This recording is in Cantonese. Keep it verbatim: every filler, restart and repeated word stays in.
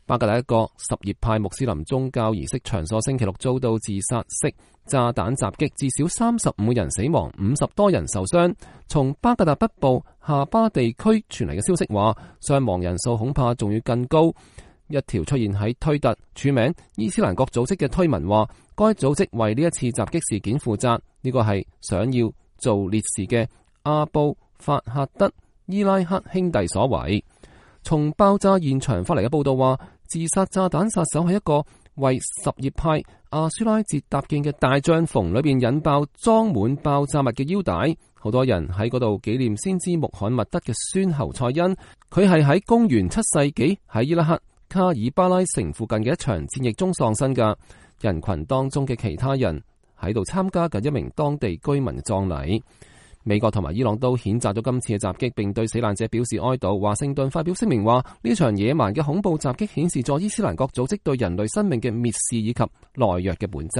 巴格達一個什葉派穆斯林宗教儀式場所星期六遭到自殺式炸彈襲擊，至少三十五人死亡，五十多人受傷。從巴格達北部夏巴地區傳嚟嘅消息話，傷亡人數恐怕仲要更高。一條出現喺推特署名伊斯蘭國組織嘅推文話，該組織為呢一次襲擊事件負責，呢個係想要做烈士嘅阿布法赫德伊拉克兄弟所為。從爆炸現場發嚟嘅報道話，自殺炸彈殺手係一個為什葉派阿舒拉節搭建嘅大帳篷裏邊引爆裝滿爆炸物嘅腰帶，好多人喺嗰度紀念先知穆罕默德嘅孫侯賽因。佢係喺公元七世紀喺伊拉克卡爾巴拉城附近嘅一場戰役中喪生㗎。人群當中嘅其他人喺度參加緊一名當地居民嘅葬禮。美國同埋伊朗都譴責咗今次嘅襲擊，並對死難者表示哀悼。華盛頓發表聲明話，呢場野蠻嘅恐怖襲擊顯示咗伊斯蘭國組織對人類生命嘅蔑視以及懦弱嘅本質。